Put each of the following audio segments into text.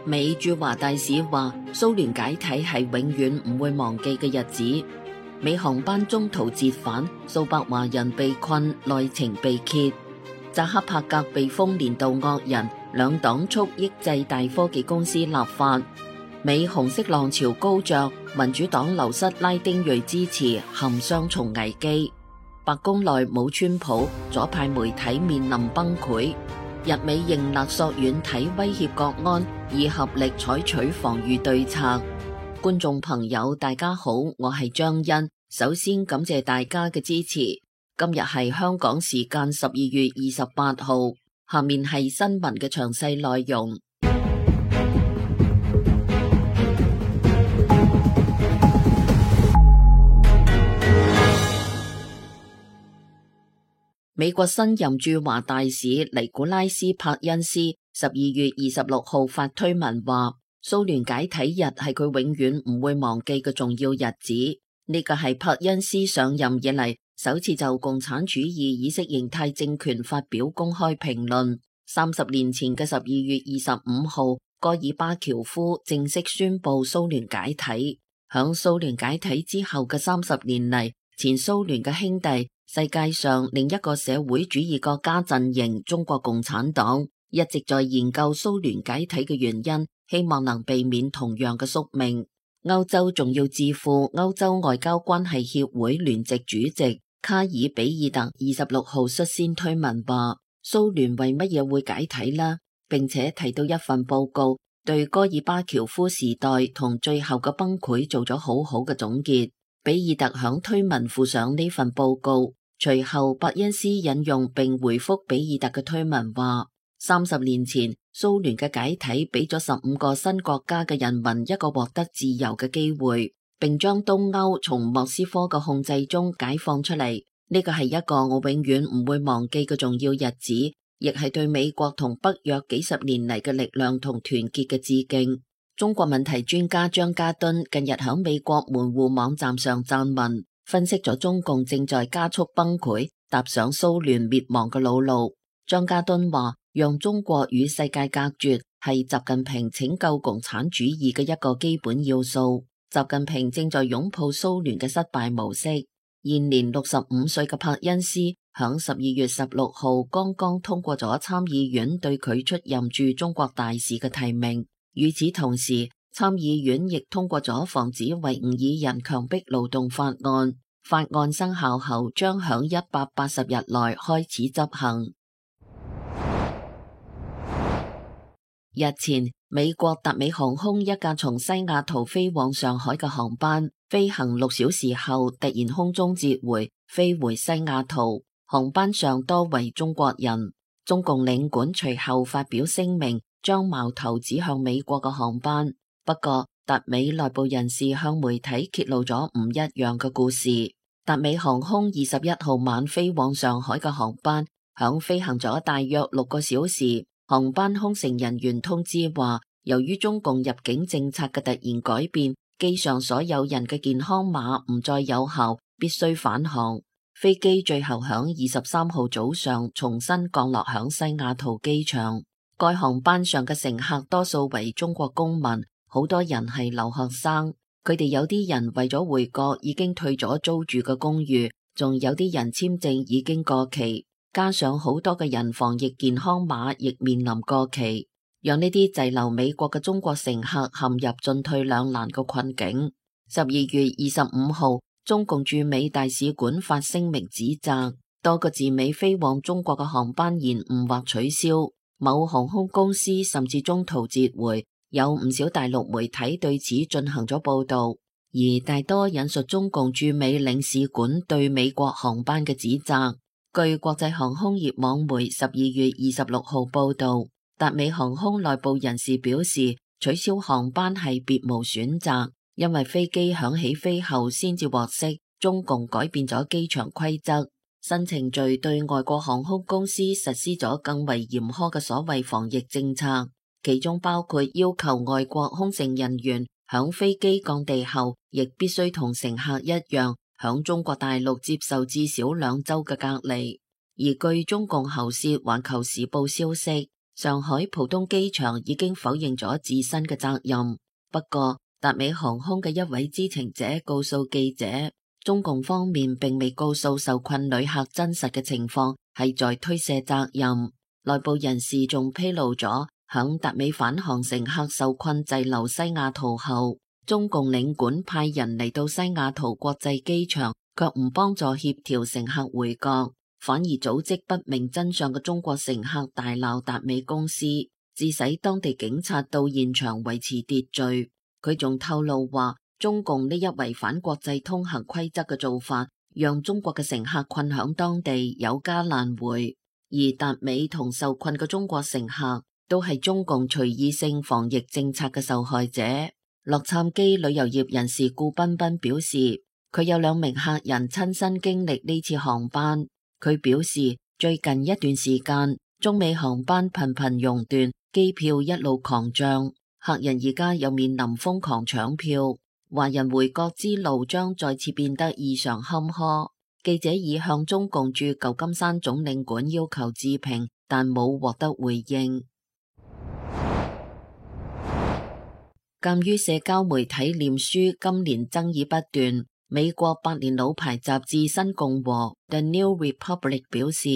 美駐華大使話，蘇聯解體係永遠唔會忘記嘅日子。美航班中途折返，數百華人被困，內情被揭。扎克伯格被封年度惡人，兩黨促抑制大科技公司立法。美紅色浪潮高漲，民主黨流失拉丁裔支持，陷雙重危機。白宮內冇川普，左派媒體面臨崩潰。日美認勒索軟體威脅國安，以合力採取防禦對策。觀眾朋友大家好，我係張欣，首先感謝大家嘅支持。今日係香港時間12月28號，下面係新聞嘅詳細內容。美國新任駐華大使尼古拉斯·柏恩斯12月26號發推文話，蘇聯解體日係佢永遠唔會忘記嘅重要日子。呢個係柏恩斯上任以嚟首次就共產主義意識形態政權發表公開評論。30年前嘅12月25號，戈爾巴喬夫正式宣布蘇聯解體。響蘇聯解體之後嘅30年嚟，前蘇聯嘅兄弟，世界上另一個社會主義國家陣營中國共產黨一直在研究蘇聯解體嘅原因，希望能避免同樣嘅宿命。歐洲重要智庫歐洲外交關係協會聯席主席卡爾比爾特26號率先推文話，蘇聯為乜嘢會解體呢？並且提到一份報告，對戈爾巴喬夫時代同最後嘅崩潰做咗好好嘅總結。比爾特響推文附上呢份報告，隨後伯恩斯引用並回覆比爾特嘅推文話，30年前蘇聯嘅解體俾咗15個新國家嘅人民一個獲得自由嘅機會，並將東歐從莫斯科嘅控制中解放出嚟。呢個係一個我永遠唔會忘記嘅重要日子，亦係對美國同北約幾十年嚟嘅力量同團結嘅致敬。中國問題專家張家敦近日喺美國門戶網站上撰文，分析咗中共正在加速崩潰，踏上蘇聯滅亡嘅老路。張家敦話，讓中國與世界隔絕係習近平拯救共產主義嘅一個基本要素。習近平正在擁抱蘇聯嘅失敗模式。現年65歲嘅柏恩斯響12月16號剛剛通過咗參議院對佢出任駐中國大使嘅提名。與此同時，參議院亦通過咗防止維吾爾人強迫勞動法案。法案生效後，將響180日內開始執行。日前，美國達美航空一架從西雅圖飛往上海嘅航班，飛行6小時後突然空中折回，飛回西雅圖。航班上多為中國人。中共領館隨後發表聲明，將矛頭指向美國嘅航班。不過，達美內部人士向媒體揭露咗唔一樣嘅故事。達美航空21號晚飛往上海嘅航班，響飛行咗大約6個小時。航班空乘人員通知話，由於中共入境政策嘅突然改變，機上所有人嘅健康碼唔再有效，必須返航。飛機最後響23號早上重新降落響西雅圖機場。該航班上嘅乘客多數為中國公民，好多人係留學生。佢哋有啲人為咗回國已經退咗租住嘅公寓，仲有啲人簽證已經過期，加上好多嘅人防疫健康碼亦面臨過期，讓呢啲滯留美國嘅中國乘客陷入進退兩難嘅困境。12月25號，中共駐美大使館發聲明指責多個自美飛往中國嘅航班延誤或取消，某航空公司甚至中途折回，有唔少大陸媒體對此進行咗報道，而大多引述中共駐美領事館對美國航班嘅指責。據國際航空業網媒12月26號報道，達美航空內部人士表示，取消航班係別無選擇。因為飛機響起飛後先至獲悉，中共改變咗機場規則，新程序對外國航空公司實施咗更為嚴苛嘅所謂防疫政策，其中包括要求外國空乘人員響飛機降地後，亦必須同乘客一樣，響中國大陸接受至少2週嘅隔離。而據中共喉舌《環球時報》消息，上海浦東機場已經否認咗自身嘅責任。不過，達美航空嘅一位知情者告訴記者，中共方面並未告訴受困旅客真實嘅情況，係在推卸責任。內部人士仲披露咗，響達美返航乘客受困滯留西雅圖後，中共領館派人嚟到西雅圖國際機場，卻唔幫助協調乘客回國，反而組織不明真相嘅中國乘客大鬧達美公司，致使當地警察到現場維持秩序。佢仲透露話，中共呢一違反國際通行規則嘅做法，讓中國嘅乘客困響當地有家難回。而達美同受困嘅中國乘客都係中共隨意性防疫政策嘅受害者。洛杉磯旅遊業人士顧彬彬表示，佢有2名客人親身經歷呢次航班。佢表示，最近一段時間，中美航班頻頻熔斷，機票一路狂漲，客人而家又面臨瘋狂搶票，華人回國之路將再次變得異常坎坷。記者已向中共駐舊金山總領館要求置評，但冇獲得回應。鑒於社交媒體臉書今年爭議不斷，美國百年老牌雜誌《新共和》The New Republic 表示，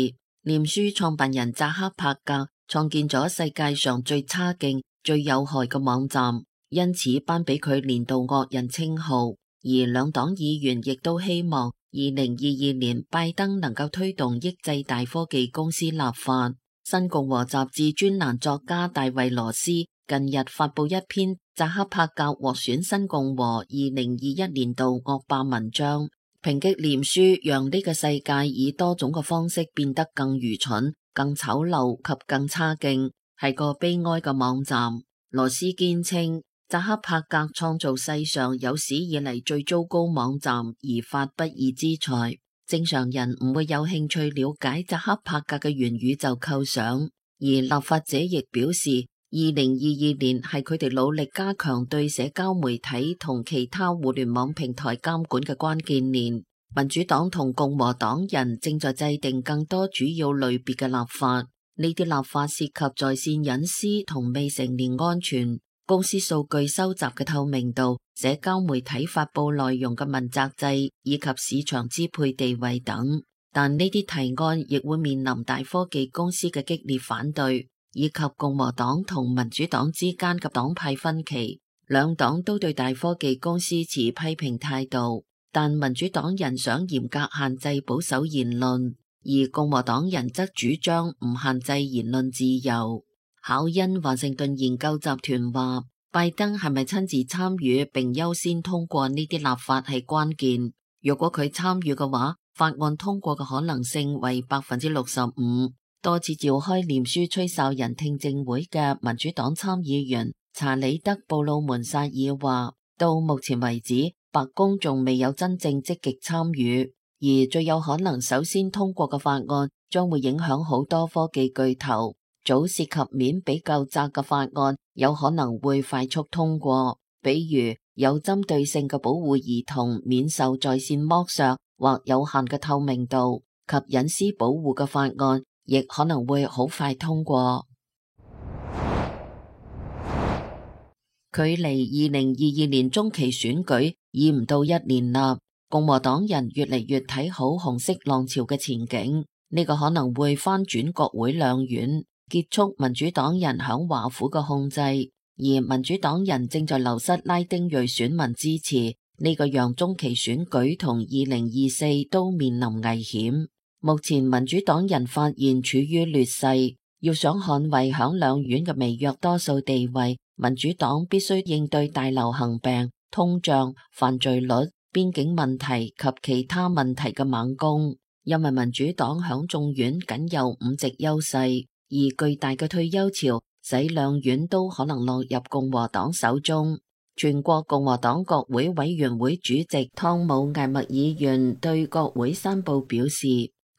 臉書創辦人扎克伯格創建咗世界上最差勁、最有害嘅網站，因此頒俾佢年度惡人稱號。而兩黨議員亦都希望2022年拜登能夠推動抑制大科技公司立法。新共和雜誌專欄作家大衛羅斯近日發布一篇扎克伯格獲選新共和2021年度惡霸文章，抨擊臉書讓呢個世界以多種嘅方式變得更愚蠢、更醜陋及更差勁，係個悲哀嘅網站。羅斯堅稱，扎克伯格創造世上有史以嚟最糟糕網站而發不義之財。正常人唔會有興趣了解扎克伯格嘅元宇宙構想，而立法者亦表示，2022年係佢哋努力加強對社交媒體同其他互聯網平台監管嘅關鍵年。民主黨同共和黨人正在制定更多主要類別嘅立法，呢啲立法涉及在線隱私同未成年安全、公司數據收集嘅透明度、社交媒體發佈內容嘅問責制以及市場支配地位等。但呢啲提案亦會面臨大科技公司嘅激烈反對，以及共和黨同民主黨之間嘅黨派分歧。兩黨都對大科技公司持批評態度，但民主黨人想嚴格限制保守言論，而共和黨人則主張唔限制言論自由。考恩華盛頓研究集團話，拜登係咪親自參與並優先通過呢啲立法係關鍵。如果佢參與嘅話，法案通過嘅可能性為65%。多次召開臉書吹哨人聽證會嘅民主黨參議員查理德布魯門薩爾話，到目前為止，白宮仲未有真正積極參與，而最有可能首先通過嘅法案將會影響好多科技巨頭。早涉及面比較窄嘅法案有可能會快速通過，比如有針對性嘅保護兒童免受在線剝削或有限嘅透明度及隱私保護嘅法案，亦可能會好快通過。距離2022年中期選舉已唔到1年啦，共和黨人越嚟越睇好紅色浪潮嘅前景，呢個可能會翻轉國會兩院，結束民主黨人響華府嘅控制，而民主黨人正在流失拉丁裔選民支持，呢個讓中期選舉同2024都面臨危險。目前民主黨人發現處於劣勢，要想捍衛響兩院嘅微弱多數地位，民主黨必須應對大流行病、通脹、犯罪率、邊境問題及其他問題嘅猛攻，因為民主黨響眾院僅有5席優勢。而巨大嘅退休潮使兩院都可能落入共和黨手中。全國共和黨國會委員會主席湯姆艾默議員對國會山報表示，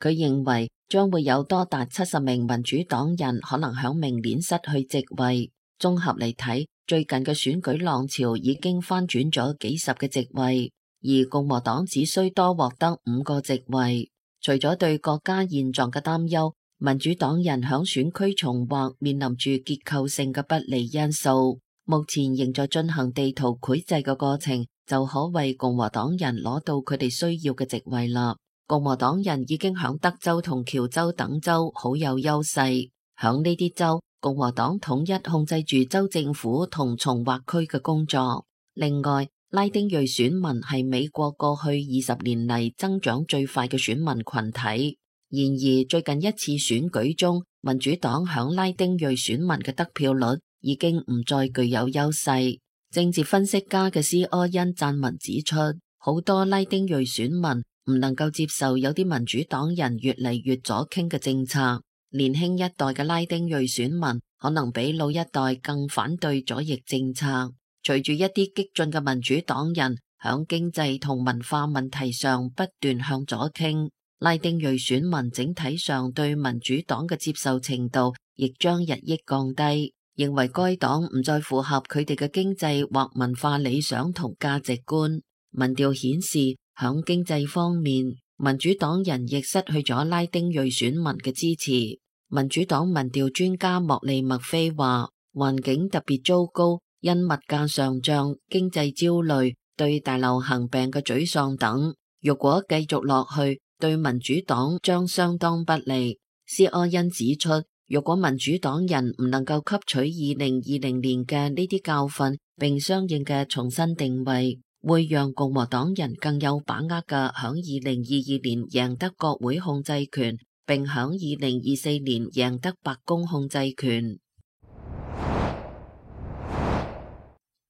佢認為將會有多達70名民主黨人可能響明年失去席位。綜合嚟睇，最近嘅選舉浪潮已經翻轉咗幾十嘅席位，而共和黨只需多獲得5個席位。除咗對國家現狀嘅擔憂，民主黨人響選區重劃面臨住結構性嘅不利因素，目前仍在進行地圖繪製嘅過程，就可為共和黨人攞到佢哋需要嘅席位啦。共和黨人已經響德州同喬州等州好有優勢，響呢啲州，共和黨統一控制住州政府同重劃區嘅工作。另外，拉丁裔選民係美國過去20年嚟增長最快嘅選民群體。然而，最近一次選舉中，民主黨響拉丁裔選民嘅得票率已經唔再具有優勢。政治分析家嘅施柯恩撰文指出，好多拉丁裔選民唔能夠接受有啲民主黨人越嚟越左傾嘅政策。年輕一代嘅拉丁裔選民可能比老一代更反對左翼政策。隨住一啲激進嘅民主黨人響經濟同文化問題上不斷向左傾，拉丁裔選民整體上對民主黨嘅接受程度亦將日益降低，認為該黨唔再符合佢哋嘅經濟或文化理想同價值觀。民調顯示，響經濟方面，民主黨人亦失去咗拉丁裔選民嘅支持。民主黨民調專家莫利麥菲話，環境特別糟糕，因物價上漲、經濟焦慮、對大流行病嘅沮喪等，如果繼續落去，對民主黨將相當不利。施柯恩指出，如果民主黨人唔能夠吸取2020年嘅呢啲教訓，並相應嘅重新定位，會讓共和黨人更有把握嘅響2022年贏得國會控制權，並響2024年贏得白宮控制權。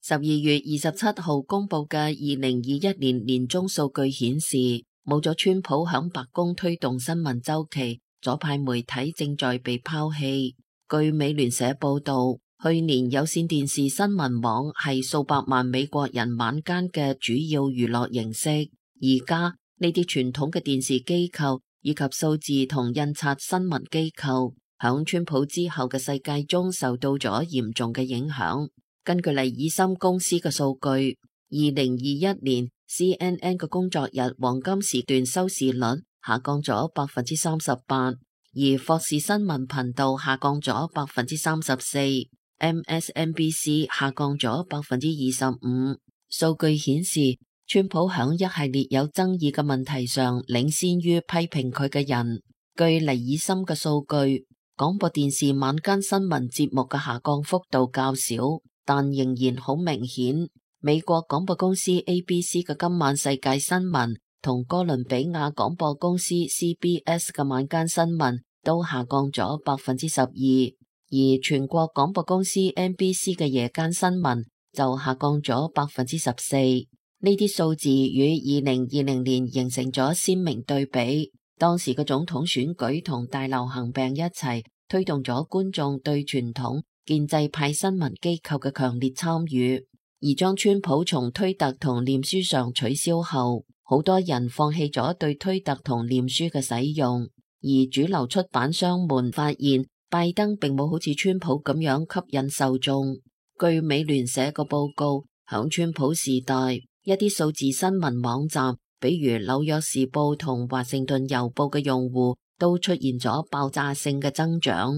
12月27號公布嘅2021年年中數據顯示，冇咗川普響白宮推動新聞週期，左派媒體正在被拋棄。據美聯社報道，去年有線電視新聞網係數百萬美國人晚間嘅主要娛樂形式。而家呢啲傳統嘅電視機構以及數字同印刷新聞機構，響川普之後嘅世界中受到咗嚴重嘅影響。根據黎爾森公司嘅數據，2021年 CNN 嘅工作日黃金時段收視率下降咗38%，而霍士新聞頻道下降咗34%， MSNBC 下降咗25%。數據顯示，川普響一系列有爭議嘅問題上領先於批評佢嘅人。據黎爾森嘅數據，廣播電視晚間新聞節目嘅下降幅度較少，但仍然好明顯。美國廣播公司 ABC 嘅今晚世界新聞同哥倫比亞廣播公司 CBS 嘅晚間新聞都下降咗12%，而全國廣播公司 NBC 嘅夜間新聞就下降咗14%。呢啲數字與2020年形成咗鮮明對比。當時嘅總統選舉同大流行病一齊推動咗觀眾對傳統建制派新聞機構嘅強烈參與，而將川普從推特同臉書上取消後，好多人放棄咗對推特同臉書嘅使用。而主流出版商們發現，拜登並冇好似川普咁樣吸引受眾。據美聯社嘅報告，響川普時代，一啲數字新聞網站，比如紐約時報同華盛頓郵報嘅用戶都出現咗爆炸性嘅增長。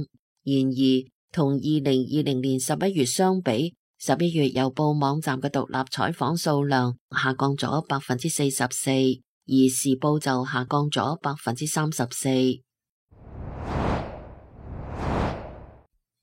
然而，同2020年11月相比，11月郵報網站嘅獨立採訪數量下降咗44%，而時報就下降咗34%。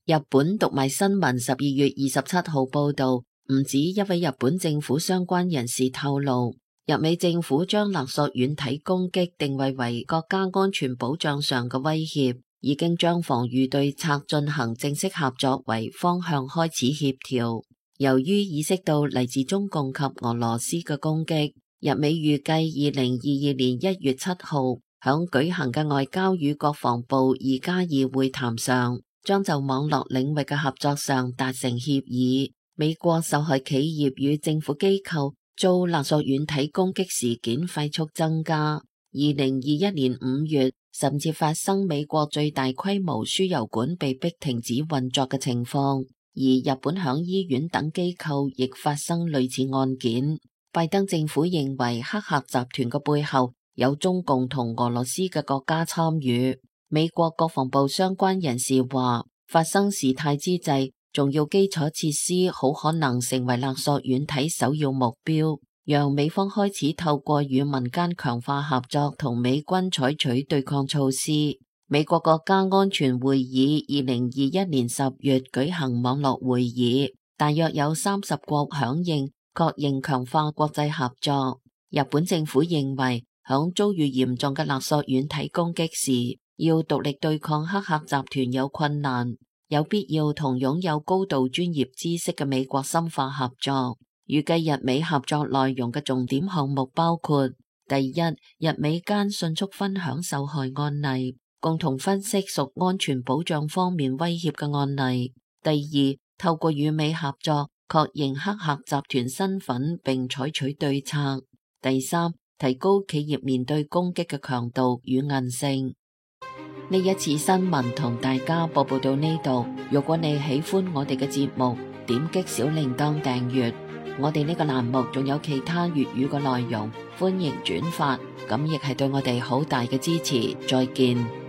日本讀賣新聞12月27號報道，唔止一位日本政府相關人士透露，日美政府將勒索軟體攻擊定位為國家安全保障上嘅威脅，已經將防禦對策進行正式合作為方向開始協調。由於意識到嚟自中共及俄羅斯嘅攻擊，日美預計2022年1月7號響舉行嘅外交與國防部2+2會談上，將就網絡領域嘅合作上達成協議。美國受害企業與政府機構遭勒索軟體攻擊事件快速增加。2021年5月，甚至發生美國最大規模輸油管被迫停止運作嘅情況，而日本響醫院等機構亦發生類似案件。拜登政府認為黑客集團嘅背後有中共同俄羅斯嘅國家參與。美國國防部相關人士話，發生事態之際，重要基礎設施好可能成為勒索軟體首要目標，讓美方開始透過與民間強化合作同美軍採取對抗措施。美國國家安全會議2021年10月舉行網絡會議，大約有30國響應，確認強化國際合作。日本政府認為，響遭遇嚴重嘅勒索軟體攻擊時，要獨立對抗黑客集團有困難，有必要同擁有高度專業知識嘅美國深化合作。預計日美合作內容嘅重點項目包括：第一，日美間迅速分享受害案例，共同分析屬安全保障方面威脅嘅案例；第二，透過與美合作，確認黑客集團身份並採取對策；第三，提高企業面對攻擊嘅強度與韌性。呢一次新聞同大家播報到呢度。如果你喜歡我哋嘅節目，點擊小鈴鐺訂閱。我哋呢個欄目仲有其他粵語嘅內容，歡迎轉發，咁亦係對我哋好大嘅支持。再見。